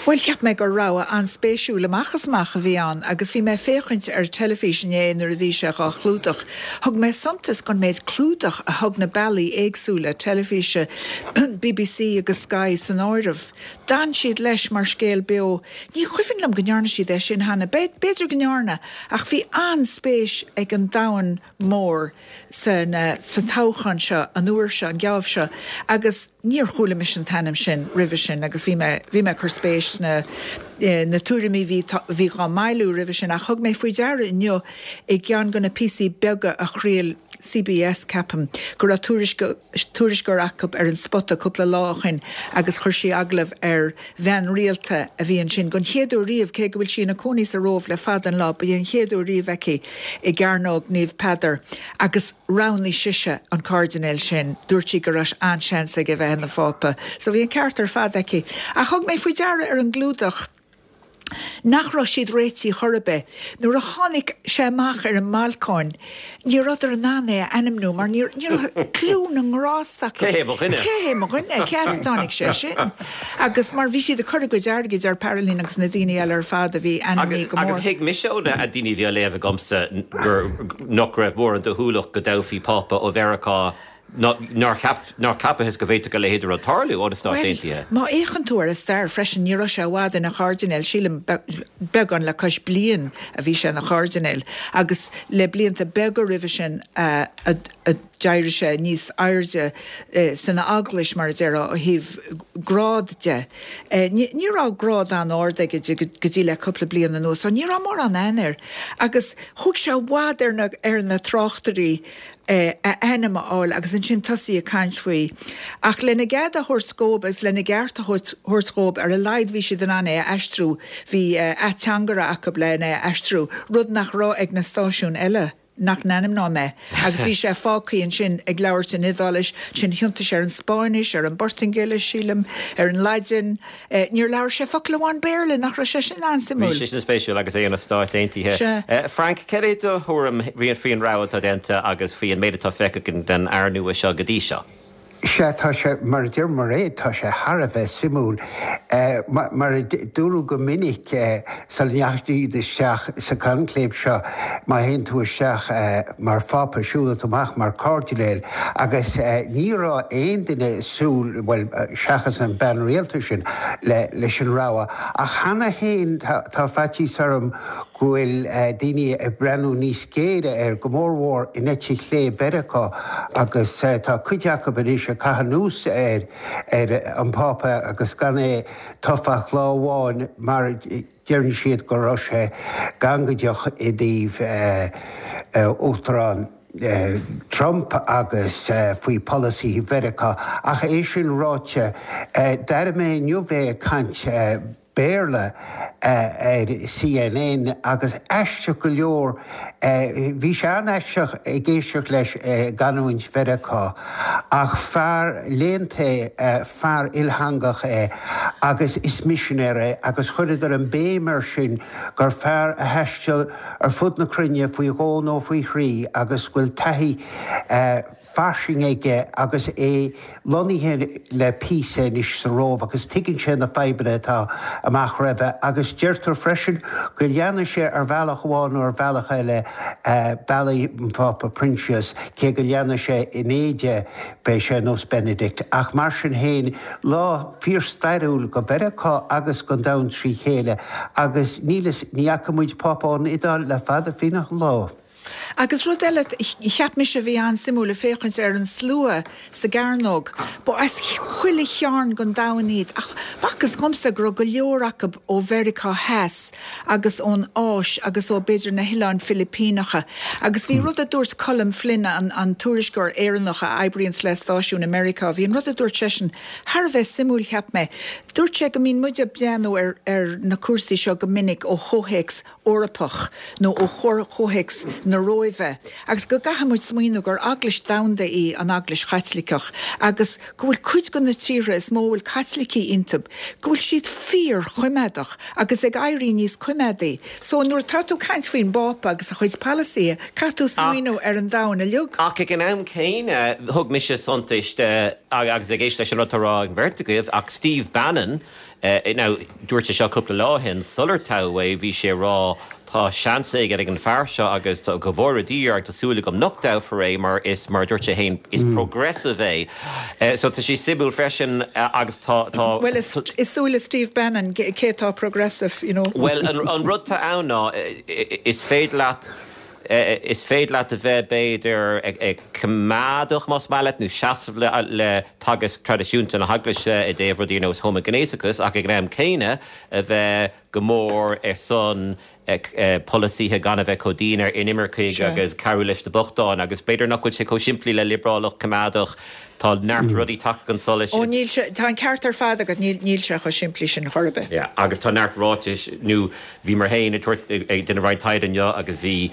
Bhuel, cheap mé gur rogha an-spéisiúil amach is amach a bhí ann agus bhí mé ag féachaint ar teilifís inné nuair a bhí sé dhá chlúdach. Thug mé suntas don méid clúdach a thug na bealaí éagsúla teilifíse, BBC agus Sky san áireamh. D'fhan siad leis mar scéal beo. Ní chuimhin liom go ndearna siad é sin cheana. B'fhéidir go ndearna, ach bhí an-spéis ag an domhan mór sa toghchán seo an uair seo, an geábh seo, agus níor chuala mise an t-ainm sin roimhe sin agus bhí mé, bhí mé ag cur spéis sna na tuairimí bhí, bhí dhá mbailiú roimhe sin ach thug mé faoi deara inniu i gceann de na píosaí beaga a chraol CBS, ceapaim, go raibh tuairisceoir acu ar an spota cúpla lá ó shin agus chuir sí agallamh ar bhean rialta a bhí ansin don chéad uair riamh, cé go bhfuil sí ina cónaí sa Róimh le fada an lá, ba é an chéad uair riamh aici i gCearnóg Naomh Peadar agus roghnaigh sise an cairdinéal sin. Dúirt sí go raibh an-seans aige bheith ina phápa. So bhí an ceart ar fad aici. Ach thug mé faoi deara ar an gclúdach nach raibh siad réitithe chor ar bith. Nuair a tháinig sé amach ar an mbalcóin, ní rabhadar in ann é a ainmniú mar ní raibh cliú na ngrást acu. Cé hé mo dhuine? Cé hé mo dhuine? Cé as a dtáinig sé sin? Agus mar bhí siad ag cur a gcuid airgid ar Parolin agus na daoine eile ar fad a bhí ainmnithe go mór. Agus thuig mise ó na daoine a bhí á léamh agamsa gur nach raibh mórán dóchúlacht go dtoghfaí Pápa ó Mheiriceá nár cheap, nár ceapadh go bhféadfadh a leithéid de rud tarlú ó na Stáit Aontaithe. Má fhéachann tú ar a stair freisin, ní raibh sé i bhfad ina chairdinéal, sílim beagán le cois bliain a bhí sé ina chairdinéal, agus le blianta beaga roimhe sin a d'éirigh sé níos airde san eaglais, mar a déarfá, ó thaobh grád de. Ní raibh grád an-ard aige go dtí le cúpla bliain anuas, so ní raibh mórán aithne air. Agus thóg sé i bhfad ar na tráchtairí a ainm a fháil agus ansin tosaí ag caint faoi. Ach lena gcead a thabhairt dhóibh agus lena gceart a thabhairt dhóibh, ar a laghad bhí siad in ann é a aistriú, bhí ateangaire acu len é a aistriú, rud nach raibh ag na stáisiúin eile nach n-ainmneoidh mé. Agus bhí sé fágtha ansin ag labhairt in Iodáilis, ansin thiontaigh sé ar an Spáinnis, ar an bPortaingéilis, sílim, ar an Laidin. Níor labhair sé focal amháin Béarla, nach raibh sé sin an-suimiúil? Bhí sé sin spéisiúil agus é ina Stáit Aontaithe. Sea. Frank, céard é do thuairim faoin rogha atá déanta agus faoi an méid atá feicthe againn den fhear nua seo go dtí seo? Sea, tá sé, mar a deir Mairéad, tá sé thar a bheith suimiúil. Mar a dúradh go minic sula ndeachaigh siad isteach sa chonclave seo, má théann tú isteach mar Phápa, siúlfaidh tú amach mar chairdinéal agus ní raibh aon duine ag súil, bhuel, seachas an bean rialta sin, leis an rogha. Ach cheana féin tá faitíos orm go bhfuil daoine ag breathnú níos géire air, go mórmhór in eite chlé Mheiriceá, agus tá cuid acu anois ag caitheamh anuas ar ar an bPápa agus gan é tofa ach lá amháin mar deireann siad go raibh sé gangaideach i dtaobh Uachtarán Trump agus faoi pholasaithe Mheiriceá. Ach é sin ráite, d'airigh mé inniu é ag caint Béarla ar C N N agus aisteach go leor, bhí sé an-aisteach ag éisteacht leis i gcanúint Mheiriceá, ach fear léannta é, fear ilteangach é agus is misinéir é agus chuireadar an béim air sin gur fear a thaistil ar fud na cruinne faoi dhó nó faoi thrí agus go bhfuil taithí fairsing aige agus é lonnaithe le píosa anois sa Róimh agus tuigeann sé na fadhbanna atá amach roimhe agus deirtear freisin go leanfaidh sé ar bhealach amháin nó ar bhealach eile bealaí an Phápa Proinsias, cé go leanfaidh sé in éide beidh sé nós Benedict. Ach mar sin féin, lá fíorstairiúil go Mheiriceá agus don domhan trí chéile agus níl ní fhaca muid Pápa ón Iodáil le fada fíneach an lá. Agus rud eile cheap mise a bhí an-suimiúil ag féachaint ar an slua sa gcearnóg, ba as chuile chearn den domhan iad, ach b'fhacthas dhomsa go raibh go leor acu ó Mheiriceá Theas agus ón Áis agus ó b'fhéidir na hOileáin Philipíneacha. Agus bhí rud a dúirt Colm Flynn, an, an tuairisceoir Éireannach a oibríonns le stáisiún i Meiriceá, bhí an rud a dúirt seisean thar a bheith suimiúil cheap mé. Dúirt sé go mbíonn muid ag breathnú ar, ar na cúrsaí seo go minic ó chomhthéacs Eorpach nó ó chomhthéacs na Róimhe, agus go gcaithfidh muid smaoineamh gur eaglais domhanda í an Eaglais Chaitliceach agus go bhfuil cuid de na tíortha is mó a bhfuil Caitlicigh iontu, go bhfuil siad fíorchoimeádach agus ag éirí níos coimeádaí. So nuair atá tú ag caint faoin bPápa agus a chuid polasaithe, caithfidh tú smaoineamh ar an domhan uilig. Ach ag an am céanna, thug mise suntas agus ag éisteacht leis an rud atá á rá ag an bheirt agaibh, ach Steve Bannon, Now, dúirt sé seo cúpla lá ó shin, sular toghadh é, bhí sé ag rá tá seans éigin ag an fear seo agus go bhfóire Dia air tá súil agam nach dtoghfar é mar is, mar a dúirt sé féin, is progressive é. So tá sé suimiúil freisin agus tá, tá. Bhuel, i súile Steve Bannon, cé atá progressive, you know? Bhuel, an rud atá ann ná is féidir leat, Is féidir leat a bheith, b'fhéidir, coimeádach, más maith leat, nó seasamh le teagasc traidisiúnta na hEaglaise i dtaobh rudaí ar nós homaighnéasachas, ach ag an am céanna a bheith go mór ar son polasaithe gan a bheith chomh dian ar inimircigh agus cabhrú leis na bochtáin. Agus b'fhéidir nach bhfuil sé chomh simplí le liobrálach coimeádach. Tá neart rudaí tagtha chun solais. Ó níl sé, tá an ceart ar fad agat, níl, níl sé chomh simplí sin chor ar bith. Yeah, agus tá neart ráitis, nó bhíomar féin ag tabhairt, ag déanamh roinnt taighde inniu agus bhí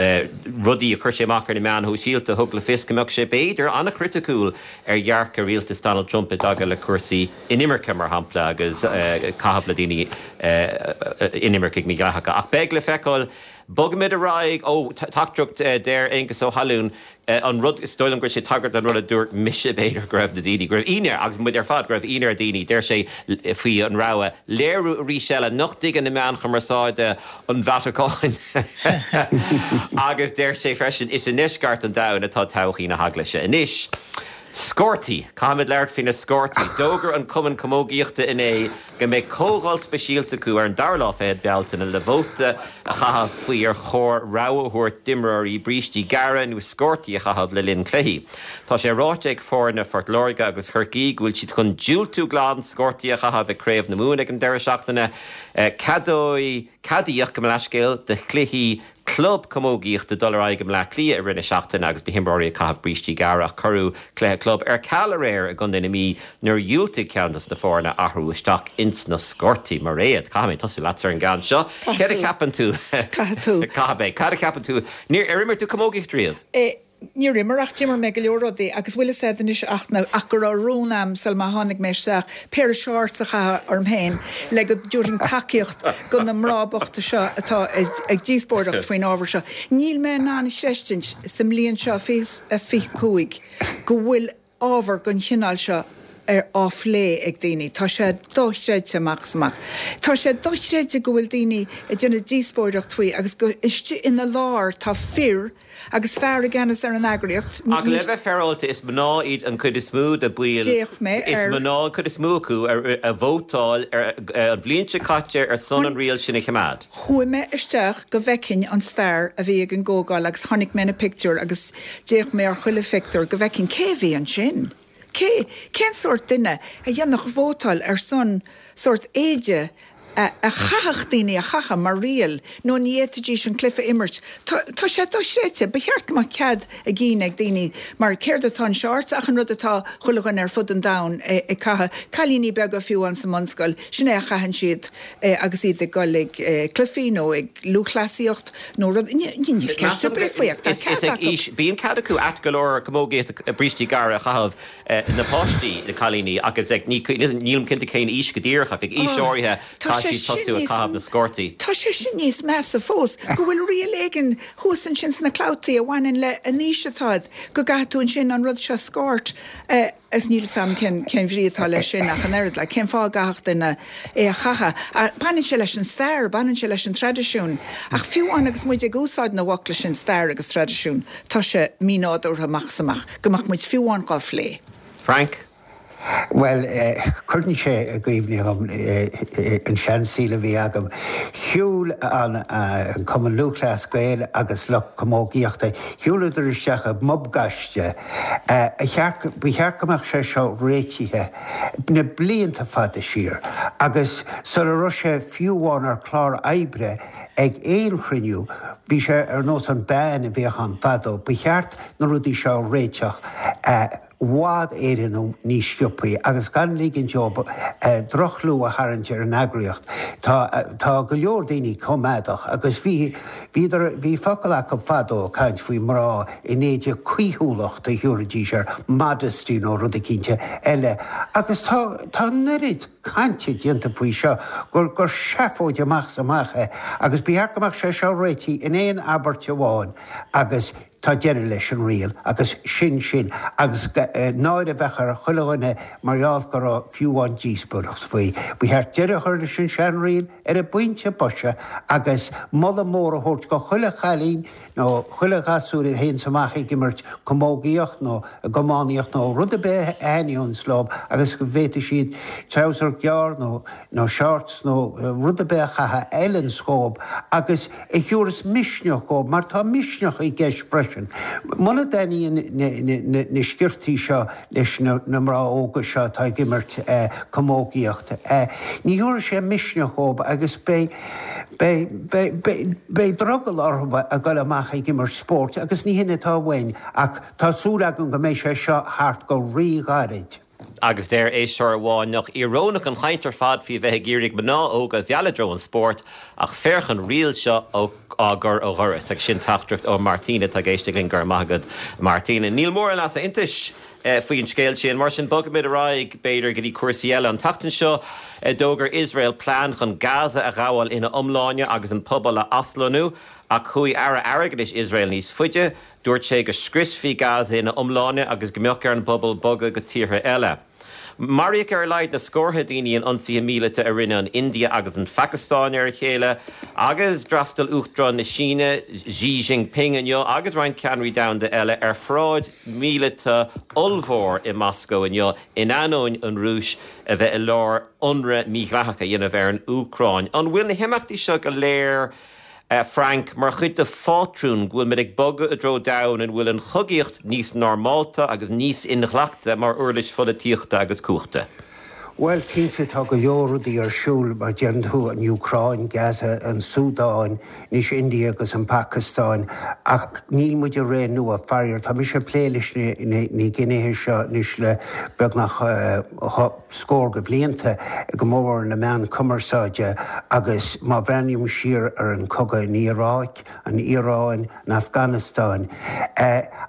rudaí a chuir sé amach ar na meáin shóisialta a thug le fios go mbeadh sé b'fhéidir an-chriticiúil ar dhearcadh rialtas Donald Trump i dtaca le cúrsaí inimirce, mar shampla, agus caitheamh le daoine inimircigh mídhleathacha. Ach beidh le feiceáil. Bogfaimid ar aghaidh. Ó, teachtaireacht, deir Aengus Ó hAlúin, an rud, is dóigh liom go raibh sé ag tagairt don rud a dúirt mise, b'fhéidir, go raibh na daoine, go raibh ionadh ar, agus muid ar fad, go raibh ionadh ar dhaoine, deir sé faoi an rogha, léiriú arís eile nach dtuigeann na meáin chumarsáide an Vatacáin. Agus deir sé freisin, is i ndeisceart an domhain atá todhchaí na hEaglaise anois. Scórtaí! Caithfimid labhairt faoi na scórtaí. D'fhógair an Cumann Camógaíochta inné go mbeidh comhdháil speisialta acu ar an dara lá fichead Bealtaine le vóta a chaitheamh faoi ar chóir rogha a thabhairt d'imreoirí brístí gearra nó scórtaí a chaitheamh le linn cluichí. Tá sé ráite ag foirne Phort Láirge agus Chorcaí go bhfuil siad chun diúltú glan scórtaí a chaitheamh ag Craobh na Mumhan ag an deireadh seachtaine. Ceadóidh. Ceadaíodh, gabh mo leithscéal, do chluichí club camógaíochta dul ar aghaidh i mBleá Cliath i rith na seachtaine agus na himreoirí ag caitheamh brístí gearra ach cuireadh cluiche club ar ceal aréir i gContae na Mí nuair a dhiúltaigh ceann dos na foirne athrú isteach ins na scórtaí. Mairéad, caithfidh mé tosú leatsa ar an gceann seo. Céard a cheapann tú? Caithfidh tú. Caithfidh mé. Cad a cheapann tú? Níor, ar imir tú camógaíocht riamh? Níor imir ach d'imir mé go leor rudaí agus bhfuil fhios a'd anois ach na, ach go raibh rún a'm sul má tháinig mé isteach, péire shorts a chaitheamh orm féin le go dtabharfainn tacaíocht go na mná bochta seo atá ag díospóireacht faoin ábhar seo. Níl mé in ann a chreistint sa mbliain seo fiche a fiche cúig go bhfuil ábhar den chineál seo ar á phlé ag daoine. Tá sé dochreidte amach is amach. Tá sé dochreidte go bhfuil daoine ag déanamh díospóireacht faoi agus go istigh ina lár tá fir agus fear i gceannas ar an eagraíocht. Ach le bheith féaráilte, is mná iad an chuid is mó de bhaill. D'fhéach mé ar. Is mná an chuid is mó acu a vótáil an bhliain seo caite ar son an riail sin a choimeád. Chuaigh mé isteach go bhfeicfinn an stair a bhí ag an gcomhdháil agus chonaic mé na pictiúir agus d'fhéach mé ar chuile phictiúr go bhfeicfinn cé a bhí ansin. Cé, cén sórt duine a dhéanfadh vótáil ar son sórt éide a chaithfeadh daoine a chaitheamh mar riail nó ní fhéadfaidís an cluiche a imirt? Tá, tá sé dochreidte. Ba cheart go mbeadh cead a gcinn ag daoine mar céard atá in shorts ach an rud atá chuile dhuine ar fud an domhain ag caitheamh. Cailíní beaga fiú amháin sa mbunscoil, sin é a chaitheann siad agus iad ag dul ag cluichí nó ag lúthchleasaíocht nó rud, níl ceist ar bith faoi ach tá cead acu. Bíonn cead acu ait go leor camógaíocht brístí gearra a chaitheamh na páistí, na cailíní agus ag, nílim cinnte cén aois go díreach ach ag aois áirithe caithfidh siad tosú ag caitheamh na sciortaí. Tá sé sin níos measa fós, go bhfuil riail éigin thuas ansin sna clabhtaí a bhaineann le an aois atá agat, go gcaithfidh tú ansin an rud seo sciort is níl 'fhios a'm cén cén bhrí atá leis sin ach an oiread, like, cén fáth a gcaithfeadh duine é a chaitheamh. Baineann sé leis an stair, baineann sé leis an traidisiún. Ach fiú amháin agus muid ag úsáid na bhfocla sin, stair agus traidisiún, tá sé mínádúrtha amach is amach go mbeadh muid fiú amháin dhá phlé. Frank. Bhuel, cuireann sé i gcuimhne dhom an seansaol a bhí agam. Shiúil an Cumann Lúthchleas Gael agus lucht camógaíochta, shiúladar isteach i bpub gaiste. Ba cheart go mbeadh sé seo réitithe na blianta fada siar agus sula raibh sé fiú amháin ar chlár oibre ag aon chruinniú, bhí sé ar nós an ban a bhíodh ann fadó. Ba cheart na rudaí seo a réiteach i bhfad Éireann níos sciobthaí agus gan ligint dóibh droch-chlú a tharraingt ar an eagraíocht. Tá tá go leor daoine coimeádach agus bhí bhíodar bhí focal acu fadó ag caint faoi mná in éide caoithiúlacht a thabharfaidís air, modesty nó rud eicínt eile agus tá tá an oiread cainte déanta faoi seo gur gur seafóid amach is amach é agus ba cheart go mbeadh sé seo réitithe in aon abairt amháin agus tá deireadh leis an riail agus sin sin agus náire a bheadh ar chuile dhuine mar gheall go raibh fiú amháin díospóireacht faoi. Ba cheart deireadh a chur leis an seanriail ar an bpointe boise agus moladh mór a thabhairt go chuile chailín nó chuile ghasúr a théanns amach ag imirt camógaíocht nó ag iománaíocht nó rud ar bith a thaitníonns leo agus go bhféadfaidh siad treabhsar gearr nó nó shorts nó rud ar bith a chaitheamh a fheileanns dhóibh agus a thiúrfas misneach dhóibh mar tá misneach i gceist freisin. Muna dtaitníonn na sciortaí seo leis na mná óga seo atá ag imirt camógaíocht, ní thiúrfaidh sé misneach dhóibh agus beidh beidh beidh beidh beidh drogall orthu a dhul amach ag imirt spóirt agus ní hin atá uainn ach tá súil agam go mbeidh sé seo thart go rí-ghairid. Agus deir éisteoir amháin nach íorónach an chaint ar fad faoi bheith ag iarraidh mná óga a mhealladh i dtreo an spóirt ach féach an riail seo á gcur ó dhoras. Agus sin teachtaireacht ó Martina atá ag éisteacht linn. Go raibh maith agat Martina. Níl mórán easaontais faoin scéal sin. Mar sin bogfaimid ar aghaidh, b'fhéidir, go dtí cúrsaí eile. An tseachtain seo d'fhógair Iosrael plean chun Gaza a ghabháil ina iomláine agus an pobal a aslonnú. Ach chuaigh Aire Airgeadais Iosrael níos faide, dúirt sé go scriosfaí Gaza ina iomláine agus go mbeadh ar an bpobal bogadh go tíortha eile. Maraíodh ar a laghad na scórtha daoine in ionsaithe míleata a rinne an India agus an Phacastáin ar a chéile, agus d'fhreastail Uachtarán na Síne, Xi Jinping inniu agus roinnt ceannairí domhanda eile ar pharáid mhíleata ollmhór i Moscó inniu in ainneoin an Rúis a bheith i lár ionradh mídhleathach a dhéanamh ar an Úcráin. An bhfuil na himeachtaí seo go léir Frank, mar chuid de phátrún go bhfuil muid ag bogadh i dtreo domhan ina bhfuil an chogaíocht níos normálta agus níos inghlactha mar uirlis pholaitíochta agus cumhachta. Bhuel, cinnte, tá go leor rudaí ar siúl, mar deireann tú, an Úcráin, Gaza, an Súdáin, anois India agus an Phacastáin, ach níl muid i ré nua, faraor. Tá mise ag plé leis na gnéithe seo anois le beagnach scór de bhlianta, go mór mhór na meáin chumarsáide, agus má bhreathnaím siar ar an chogadh in Iaráic, an Iaráin, an Afganastáin,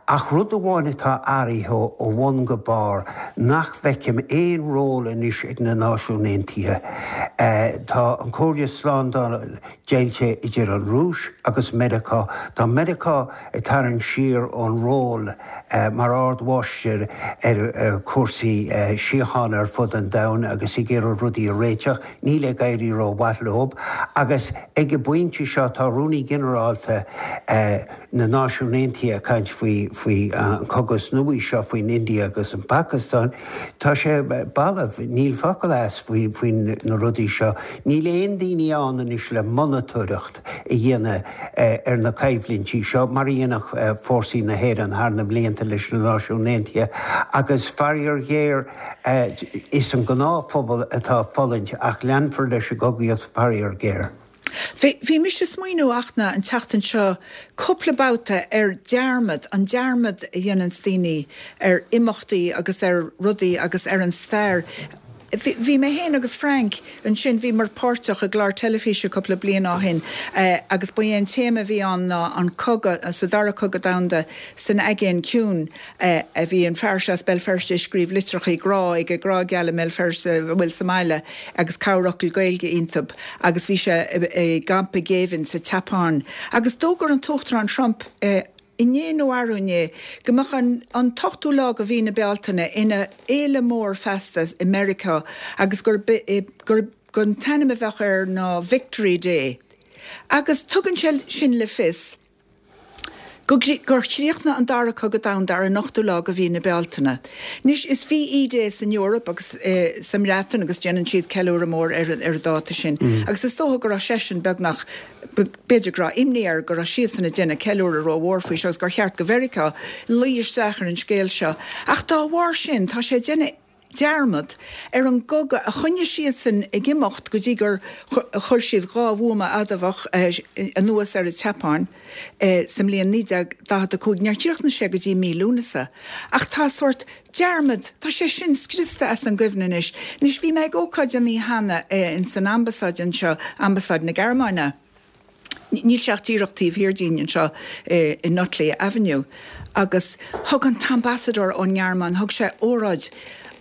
ach rud amháin atá athraithe ó bhun go barr, nach bhfeicim aon ról anois anois ag na Náisiúin Aontaithe. Tá an Chomhairle Slándála deighilte idir an Rúis agus Meiriceá. Tá Meiriceá ag tarraingt siar ón ról mar ardmháistir ar chúrsaí síochána ar fud an domhain agus ag iarraidh rudaí a réiteach. Níl ag éirí rómhaith leo. Agus ag an bpointe seo tá Rúnaí Ginearálta na Náisiún Aontaithe ag caint faoi faoi an cogadh nua seo faoin India agus an Phacastáin. Tá sé balbh, níl focal as faoi faoi na rudaí seo. Níl aon daoine ann anois le monatóireacht a dhéanamh ar na coimhlintí seo mar a dhéanadh fórsaí na hÉireann thar na blianta leis na Náisiúin Aontaithe agus faraor géar is an gnáthphobal atá ag fulaingt ach leanfar leis an gcogaíocht faraor géar. Bhí mise ag smaoineamh Fhachtna an tseachtain seo cúpla babhta ar dearmad, an dearmad a dhéananns daoine ar imeachtaí agus ar rudaí agus ar an stair. Bhí mé féin agus Frank ansin, bhíomar páirteach i gclár teilifíse cúpla bliain ó shin agus ba é an téama a bhí ann ná an cogadh, sa Dara Cogadh Domhanda san Aigéan Ciúin. a bhí an fear seo as Béal Feirste ag scríobh litreachaí grá ag a grá geal i mBéal Feirste a bhfuil sa mbaile agus corrfhocal Gaeilge iontub agus bhí sé i gcampa géibhinn sa tSeapáin agus d'fhógair an tUachtarán Trump inné nó arú inné go mbeadh an an t-ochtú lá de mhí na Bealtaine ina fhéile mór feasta i Meiriceá agus gur gur an t-ainm a bheadh air ná Victory Day agus tugann sé sin le fios gur chríochnaigh an Dara Cogadh Domhanda ar an ochtú lá de mhí na Bealtaine. Anois, is VE Day san Eoraip agus sa mBreatain agus déanann siad ceiliúradh mór ar an dáta sin. Agus is dócha go raibh seisean beagnach, b'fhéidir go raibh imní air go raibh siadsan ag déanamh ceiliúradh rómhór faoi seo agus gur cheart do Mheiriceá luí isteach ar an scéal seo. Ach dá bharr sin, tá sé ag déanamh dearmad ar an gcogadh a choinnigh siadsan ag imeacht go dtí gur chuir siad dhá bhuama adamhach anuas ar an tSeapáin sa mbliain naoi déag daichead a cúig. Níor chríochnaigh sé go dtí mí Lúnasa. Ach tá sórt dearmad, tá sé sin scriosta as an gcuimhne anois. Anois, bhí mé ag ócáid an oíche cheana ins an ambasáid anseo, ambasáid na Gearmáine. Níl sé ach díreach taobh thiar dínn anseo i Nutley Avenue. Agus thug an t-ambasadóir ón nGearmáin, thug sé óráid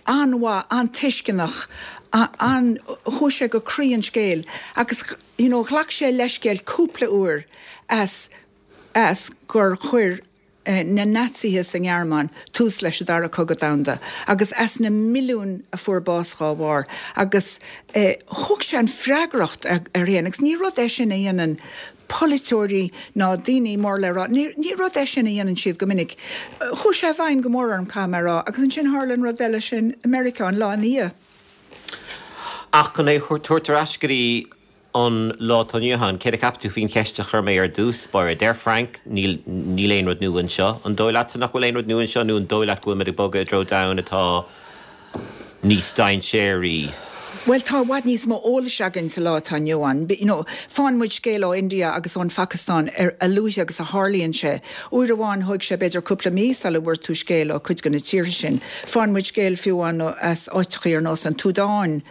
an-mhaith, an-tuisceanach, an, chuaigh sé go croí an scéil agus you know ghlac sé leithscéal cúpla uair as, as gur chuir na Naitsithe sa nGearmáin tús leis an Dara Cogadh Domhanda agus as na milliúin a fuair bás dhá bharr agus thóg sé an freagracht air féin agus ní rud é sin a dhéanann polaiteoirí ná daoine mór le rá, ní rud é sin a dhéanann siad go minic. Chuaigh sé i bhfeidhm go mór orm, caithfidh mé a rá, agus ansin tharla an rud eile sin i Meiriceá an lá ina dhiaidh. Ach chun é a thabhairt ar ais go dtí an lá atá inniu ann, céard a cheapann tú faoin cheist a chuir mé ar dtús báire? Deir Frank, níl, níl aon rud nua anseo. An dóigh leatsa nach bhfuil aon rud nua anseo nó an dóigh leat go bhfuil muid ag bogadh i dtreo domhan atá níos dainséaraí? Bhuel, tá i bhfad níos mó eolais againn sa lá atá inniu ann. You know, faigheann muid scéal ó India agus ón Phacastáin ar a luaithe agus a tharlaíonn sé. Uair amháin thóg sé b'fhéidir cúpla mí sula bhfuair tú scéal ó cuid de na tíortha sin. Faigheann muid scéal fiú amháin as áiteachaí ar nós an tSúdáin,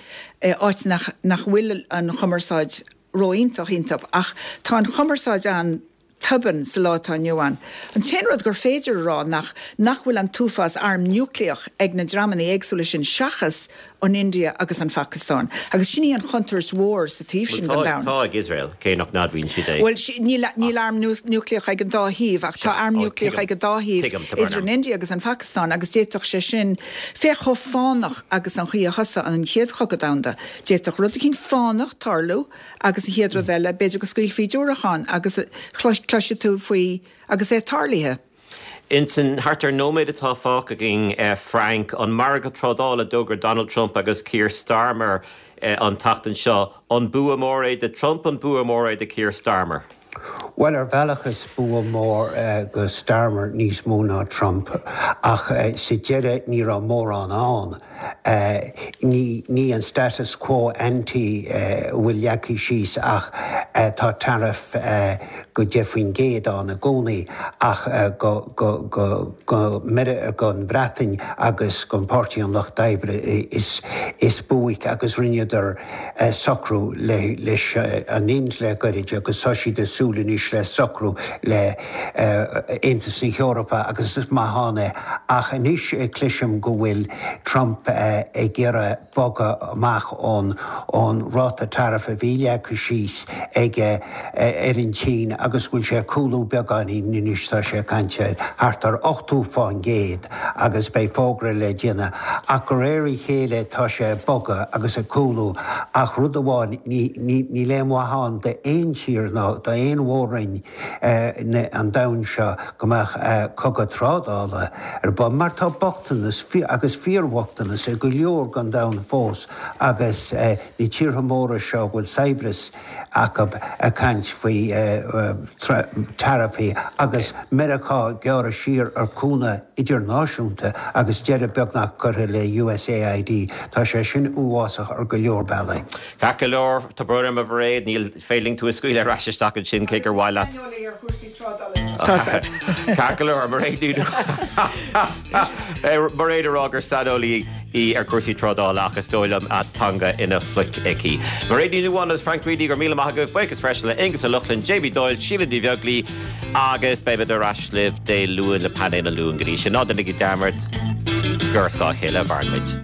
áit nach nach bhfuil an chumarsáid ró-iontach iontub ach tá an chumarsáid an tobann sa lá atá inniu ann. An t-aon rud gur féidir a rá nach nach bhfuil an t-uafás arm núicléach ag na dreamanna éagsúla sin seachas an India agus an Phacastáin. Agus sin í an chontúirt mhór sa taobh sin den Bhuel, tá, domhan. tá ag Iosrael, cé nach n-admhaíonn siad é. Bhuel, níl, níl arm núicléach ag an dá thaobh ach tá arm Ó, núicléach tuigim, ag an dá thaobh, tuigim, tá brón idir orm. an India agus an Phacastáin agus d'fhéadfadh sé sin, féach chomh fánach agus an chaoi a thosaigh an Chéad Chogadh Domhanda, d'fhéadfadh rud eicínt fánach tarlú Agus an chéad rud eile, b'fhéidir go scaoilfí diúracán agus cloisfidh tú faoi agus é tarlaithe. Insan thart ar nóiméad atá fágtha againn, Frank, an margadh trádála a d'fhógair Donald Trump agus Keir Starmer an tseachtain seo, an bua mór é do Trump, an bua mór é do Keir Starmer? Bhuel, ar bhealach is bua mór go Starmer níos mó ná Trump, ach sa deireadh ní raibh mórán ann. Ní ní an status quo ante a bhfuil leagtha síos ach tá tariff go deich faoin gcéad ann i gcónaí ach go go go go gon Bhreatain agus gon Páirtí an Lucht Oibre is is buaic agus rinneadar socrú leis an Ind le gairid agus tá siad ag súil anois le socrú le Aontas na hEorpa agus is maith ann é ach anois cloisim go bhfuil Trump ag iarraidh bogadh amach ón ón ráta tariff a bhí leagtha síos aige ar an tSín agus go bhfuil sé ag cúlú beagáinín anois, tá sé ag caint ar thart ar ochtó fán gcéad agus beidh fógra le déanamh ach de réir a chéile tá sé ag bogadh agus ag cúlú ach rud amháin níl aon mhaith ann d'aon tír ná d'aon mhór-roinn an domhain seo go mbeadh cogadh trádála ar bun mar tá bochtanas agus fíorbhochtanas i go leor den domhan fós agus na tíortha móra seo a bhfuil saibhreas acu ag caint faoi taraifí agus Meiriceá ag gearradh siar ar chúnamh idirnáisiúnta agus deireadh beagnach curtha le USAID. Tá sé sin uafásach ar go leor bealaí. Ceart go leor, tá brón orm a Mhairéad, ní féidir linn tú a scaoileadh ar ais isteach ansin cé gur mhaith leat. Saineolaí ar chúrsaí trádála. Ceart go leor, Mairéad Ní Mairéad ag rá gur saineolaí í ar chúrsaí trádála ach is dóigh liom a teanga ina pluic aici. Mairéad Ní Nuadháin agus Frank Reidy, go raibh míle maith agaibh, buíochas freisin le Aonghus Ó Lochlainn, Jamie Doyle, Síle Ní Bheaglaoi agus beimid ar ais libh Dé Luain le Painéal an Luain go dtí sin. Ná déanaigí dearmad gur ar scáth a chéile a mhaireann muid.